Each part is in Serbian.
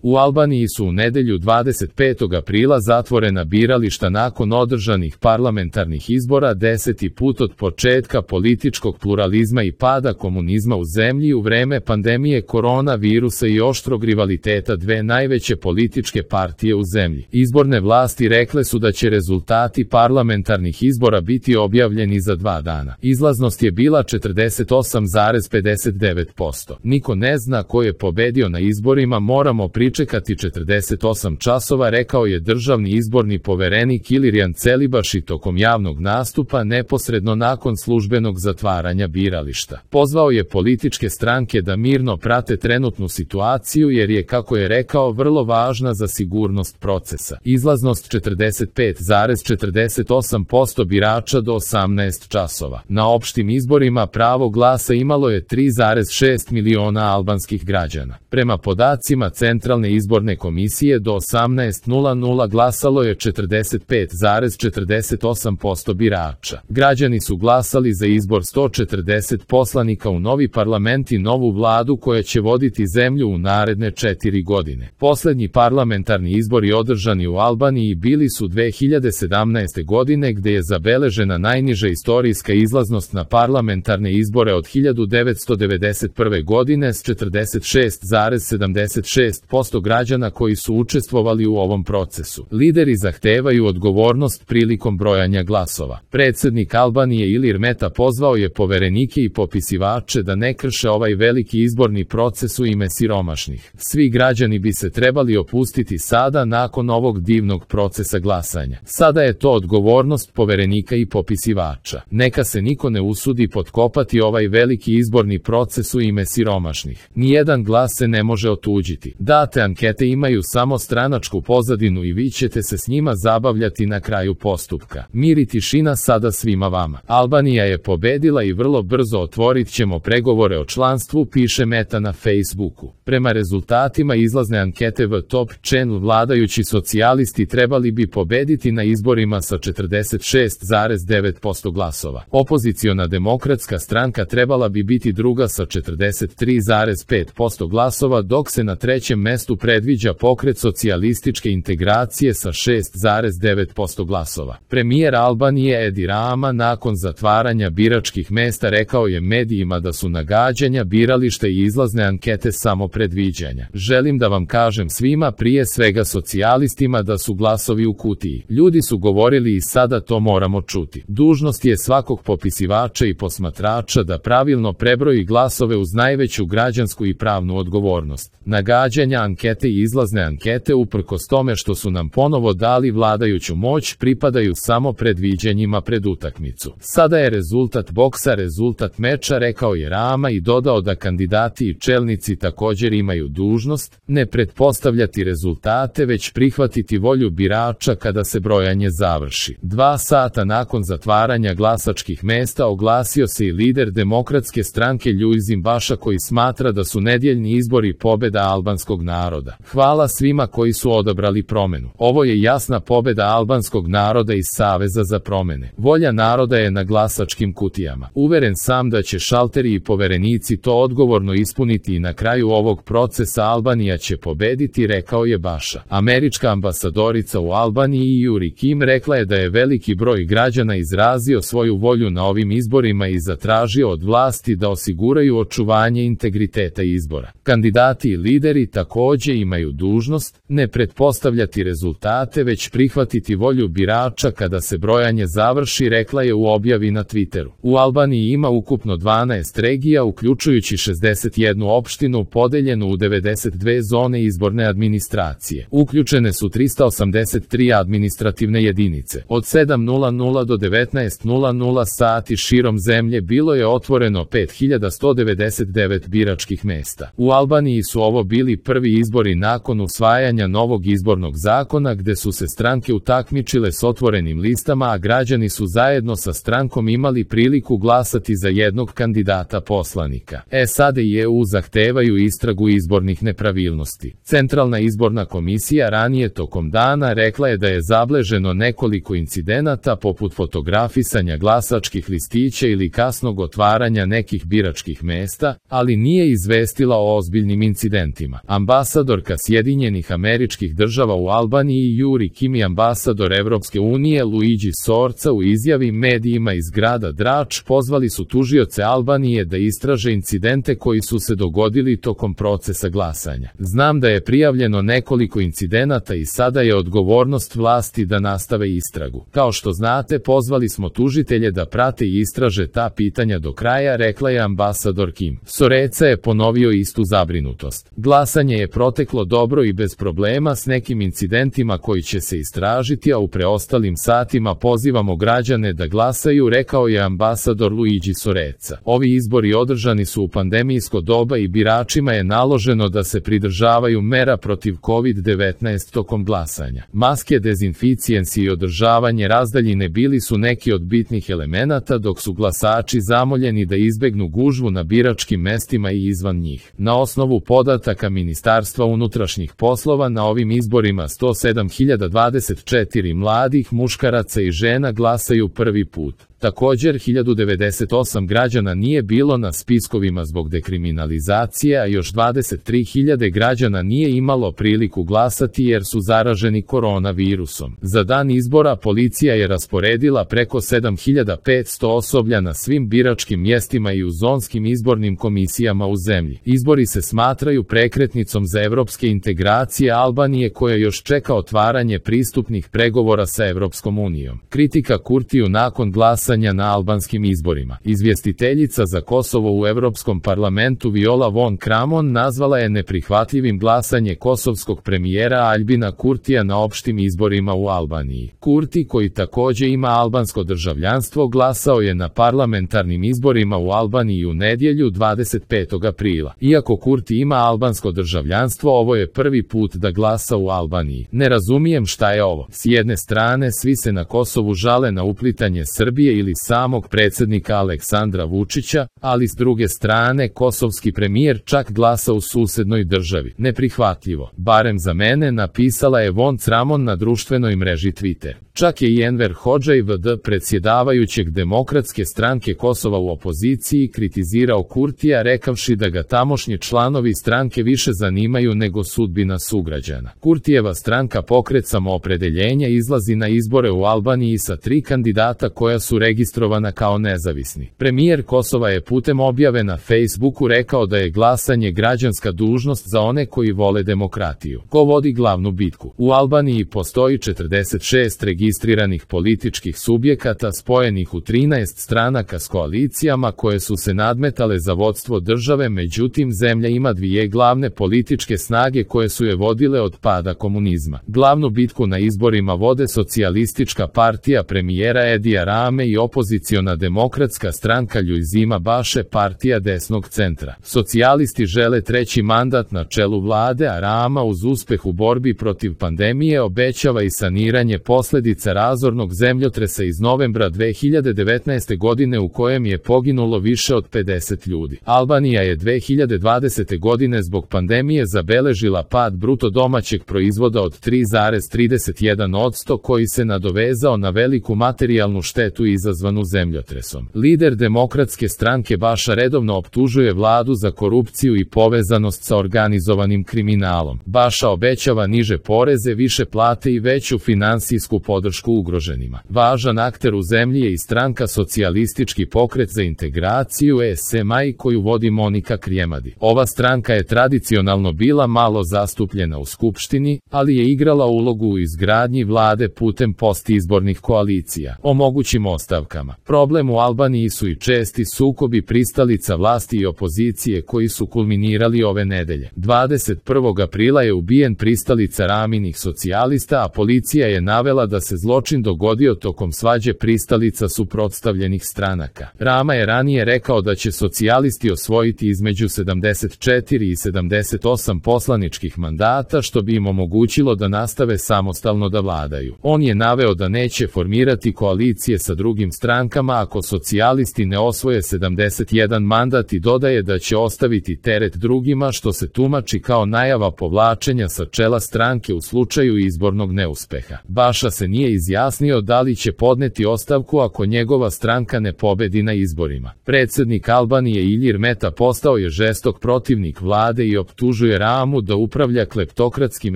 U Albaniji su u nedelju 25. aprila zatvorena birališta nakon održanih parlamentarnih izbora 10. put od početka političkog pluralizma i pada komunizma u zemlji u vreme pandemije koronavirusa i oštrog rivaliteta dve najveće političke partije u zemlji. Izborne vlasti rekle su da će rezultati parlamentarnih izbora biti objavljeni za 2 dana. Izlaznost je bila 48,59%. Niko ne zna ko je pobedio na izborima, moramo pričekati 48 časova, rekao je državni izborni poverenik Ilirijan Celibaši tokom javnog nastupa neposredno nakon službenog zatvaranja birališta. Pozvao je političke stranke da mirno prate trenutnu situaciju jer je, kako je rekao, vrlo važna za sigurnost procesa. Izlaznost 45,48% birača do 18 časova. Na opštim izborima pravo glasa imalo je 3,6 miliona albanskih građana. Prema podacima Centralne izborne komisije do 18:00 glasalo je 45,48% birača. Građani su glasali za izbor 140 poslanika u novi parlament i novu vladu koja će voditi zemlju u naredne 4 godine. Poslednji parlamentarni izbori održani u Albaniji bili su 2017. godine, gde je zabeležena najniža istorijska izlaznost na parlamentarne izbore od 1991. godine s 46,76% građana koji su učestvovali u ovom procesu. Lideri zahtevaju odgovornost prilikom brojanja glasova. Predsednik Albanije Ilir Meta pozvao je poverenike i popisivače da ne krše ovaj veliki izborni proces u ime siromašnih. Svi građani bi se trebali opustiti sada nakon ovog divnog procesa glasanja. Sada je to odgovornost poverenika i popisivača. Neka se niko ne usudi potkopati ovaj veliki izborni proces u ime siromašnih. Nijedan glas se ne može otuđiti. Date ankete imaju samo stranačku pozadinu i vi ćete se s njima zabavljati na kraju postupka. Mir i tišina sada svima vama. Albanija je pobedila i vrlo brzo otvorit ćemo pregovore o članstvu, piše Meta na Facebooku. Prema rezultatima izlazne ankete v Top Channel vladajući socijalisti trebali bi pobediti na izborima sa 46,9% glasova. Opoziciona demokratska stranka trebala bi biti druga sa 43,5% glasova, dok se na trećem mestu predviđa pokret socijalističke integracije sa 6,9% glasova. Premijer Albanije Edi Rama nakon zatvaranja biračkih mesta rekao je medijima da su nagađanja, birališta i izlazne ankete samo predviđanja. Želim da vam kažem svima, prije svega socijalistima, da su glasovi u kutiji. Ljudi su govorili i sada to moramo čuti. Dužnost je svakog popisivača i posmatrača da pravilno prebroji glasove uz najveću građansku i pravnu odgovornost. Nagađanja, ankete i izlazne ankete, uprkos tome što su nam ponovo dali vladajuću moć, pripadaju samo predviđanjima pred utakmicu. Sada je rezultat boksa rezultat meča, rekao je Rama i dodao da kandidati i čelnici također imaju dužnost ne pretpostavljati rezultate, već prihvatiti volju birača kada se brojanje završi. 2 sata nakon zatvaranja glasačkih mesta oglasio se i lider demokratske stranke Ljuizim Baša, koji smatra da su nedjeljni izbori pobeda albanskog naroda. Hvala svima koji su odabrali promenu. Ovo je jasna pobeda albanskog naroda iz Saveza za promene. Volja naroda je na glasačkim kutijama. Uveren sam da će šalteri i poverenici to odgovorno ispuniti i na kraju ovog procesa Albanija će pobediti, rekao je Baša. Američka ambasadorica u Albaniji Yuri Kim rekla je da je veliki broj građana izrazio svoju volju na ovim izborima i zatražio od vlasti da osiguraju očuvanje integriteta izbora. Kandidati i lideri također imaju dužnost ne pretpostavljati rezultate, već prihvatiti volju birača kada se brojanje završi, rekla je u objavi na Twitteru. U Albaniji ima ukupno 12 regija, uključujući 61 opštinu podeljenu u 92 zone izborne administracije. Uključene su 383 administrativne jedinice. Od 7:00 do 19:00 sati širom zemlje bilo je otvoreno 5199 biračkih mesta. U Albaniji su ovo bili prvi izbori nakon usvajanja novog izbornog zakona, gde su se stranke utakmičile s otvorenim listama, a građani su zajedno sa strankom imali priliku glasati za jednog kandidata poslanika. SAD i EU zahtevaju istragu izbornih nepravilnosti. Centralna izborna komisija ranije tokom dana rekla je da je zabeleženo nekoliko incidenata poput fotografisanja glasačkih listića ili kasnog otvaranja nekih biračkih mesta, ali nije izvestila o ozbiljnim incidentima. Ambasador ambasadorka Sjedinjenih Američkih Država u Albaniji Juri Kimi, ambasador Evropske unije Luigi Sorca u izjavi medijima iz grada Drač pozvali su tužioce Albanije da istraže incidente koji su se dogodili tokom procesa glasanja. Znam da je prijavljeno nekoliko incidenata i sada je odgovornost vlasti da nastave istragu. Kao što znate, pozvali smo tužitelje da prate i istraže ta pitanja do kraja, rekla je ambasador Kim. Sorca je ponovio istu zabrinutost. Glasanje je proteklo dobro i bez problema s nekim incidentima koji će se istražiti, a u preostalim satima pozivamo građane da glasaju, rekao je ambasador Luigi Sorca. Ovi izbori održani su u pandemijsko doba i biračima je naloženo da se pridržavaju mera protiv COVID-19 tokom glasanja. Maske, dezinficijensi i održavanje razdaljine bili su neki od bitnih elemenata, dok su glasači zamoljeni da izbegnu gužvu na biračkim mestima i izvan njih. Na osnovu podataka Ministarstva unutrašnjih poslova, na ovim izborima 107.024 mladih muškaraca i žena glasaju prvi put. Također 1098 građana nije bilo na spiskovima zbog dekriminalizacije, a još 23.000 građana nije imalo priliku glasati jer su zaraženi koronavirusom. Za dan izbora policija je rasporedila preko 7.500 osoblja na svim biračkim mjestima i u zonskim izbornim komisijama u zemlji. Izbori se smatraju prekretnicom za evropske integracije Albanije, koja još čeka otvaranje pristupnih pregovora sa Evropskom unijom. Kritika Kurtiju nakon glasanja na albanskim izborima. Izvjestiteljica za Kosovo u Evropskom parlamentu Viola von Kramon nazvala je neprihvatljivim glasanje kosovskog premijera Aljbina Kurtija na opštim izborima u Albaniji. Kurti, koji također ima albansko državljanstvo, glasao je na parlamentarnim izborima u Albaniji u nedjelju 25. aprila. Iako Kurti ima albansko državljanstvo, ovo je prvi put da glasa u Albaniji. Ne razumijem šta je ovo. S jedne strane, svi se na Kosovu žale na uplitanje Srbije ili samog predsjednika Aleksandra Vučića, ali s druge strane kosovski premijer čak glasa u susednoj državi. Neprihvatljivo. Barem za mene, napisala je von Kramon na društvenoj mreži Twitter. Čak je i Enver Hodžaj VD, predsjedavajućeg Demokratske stranke Kosova u opoziciji, kritizirao Kurtija rekavši da ga tamošnji članovi stranke više zanimaju nego sudbina sugrađana. Kurtijeva stranka Pokret samoopredeljenja izlazi na izbore u Albaniji sa 3 kandidata koja su registrovana kao nezavisni. Premijer Kosova je putem objave na Facebooku rekao da je glasanje građanska dužnost za one koji vole demokratiju. Ko vodi glavnu bitku? U Albaniji postoji 46 registriranih političkih subjekata spojenih u 13 stranaka s koalicijama koje su se nadmetale za vodstvo države, međutim zemlja ima 2 glavne političke snage koje su je vodile od pada komunizma. Glavnu bitku na izborima vode Socijalistička partija premijera Edija Rame i opoziciona Demokratska stranka Ljuzima Baše, partija desnog centra. Socijalisti žele 3. mandat na čelu vlade, a Rama uz uspeh u borbi protiv pandemije obećava i saniranje posljedica razornog zemljotresa iz novembra 2019. godine u kojem je poginulo više od 50 ljudi. Albanija je 2020. godine zbog pandemije zabeležila pad bruto domaćeg proizvoda od 3,31% koji se nadovezao na veliku materijalnu štetu izazvanu zemljotresom. Lider Demokratske stranke Baša redovno optužuje vladu za korupciju i povezanost sa organizovanim kriminalom. Baša obećava niže poreze, više plate i veću finansijsku podršku ugroženima. Važan akter u zemlji je i stranka Socijalistički pokret za integraciju SMI koju vodi Monika Krijemadi. Ova stranka je tradicionalno bila malo zastupljena u skupštini, ali je igrala ulogu u izgradnji vlade putem postizbornih koalicija. O mogućim ostavkama. Problem u Albaniji su i česti sukobi pristalica vlasti i opozicije koji su kulminirali ove nedelje. 21. aprila je ubijen pristalica Raminih socijalista, a policija je navela da se zločin dogodio tokom svađe pristalica suprotstavljenih stranaka. Rama je ranije rekao da će socijalisti osvojiti između 74 i 78 poslaničkih mandata, što bi im omogućilo da nastave samostalno da vladaju. On je naveo da neće formirati koalicije sa drugim strankama ako socijalisti ne osvoje 71 mandat i dodaje da će ostaviti teret drugima, što se tumači kao najava povlačenja sa čela stranke u slučaju izbornog neuspeha. Baša se nije nije izjasnio da li će podneti ostavku ako njegova stranka ne pobedi na izborima. Predsjednik Albanije Ilir Meta postao je žestok protivnik vlade i optužuje Ramu da upravlja kleptokratskim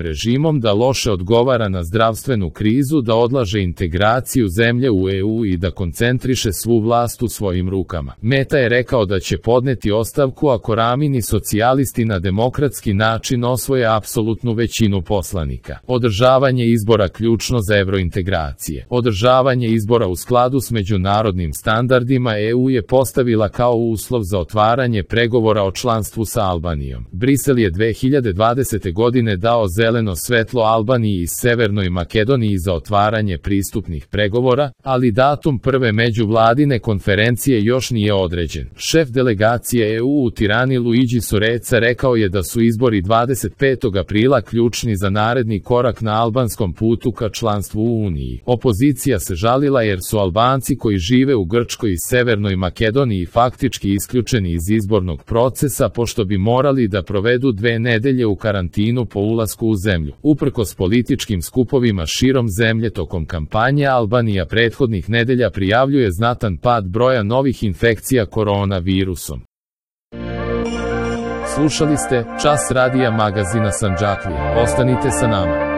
režimom, da loše odgovara na zdravstvenu krizu, da odlaže integraciju zemlje u EU i da koncentriše svu vlast u svojim rukama. Meta je rekao da će podneti ostavku ako Ramini socijalisti na demokratski način osvoje apsolutnu većinu poslanika. Održavanje izbora ključno za evrointegracije. Održavanje izbora u skladu s međunarodnim standardima EU je postavila kao uslov za otvaranje pregovora o članstvu sa Albanijom. Brisel je 2020. godine dao zeleno svetlo Albaniji i Severnoj Makedoniji za otvaranje pristupnih pregovora, ali datum prve međuvladine konferencije još nije određen. Šef delegacije EU u Tirani Luigi Soreca rekao je da su izbori 25. aprila ključni za naredni korak na albanskom putu ka članstvu u Uniji. Opozicija se žalila jer su Albanci koji žive u Grčkoj i Severnoj Makedoniji faktički isključeni iz izbornog procesa pošto bi morali da provedu 2 nedelje u karantinu po ulasku u zemlju. Uprkos političkim skupovima širom zemlje tokom kampanje, Albanija prethodnih nedelja prijavljuje znatan pad broja novih infekcija koronavirusom. Slušali ste Čas radija magazina Sandžaklija. Ostanite sa nama.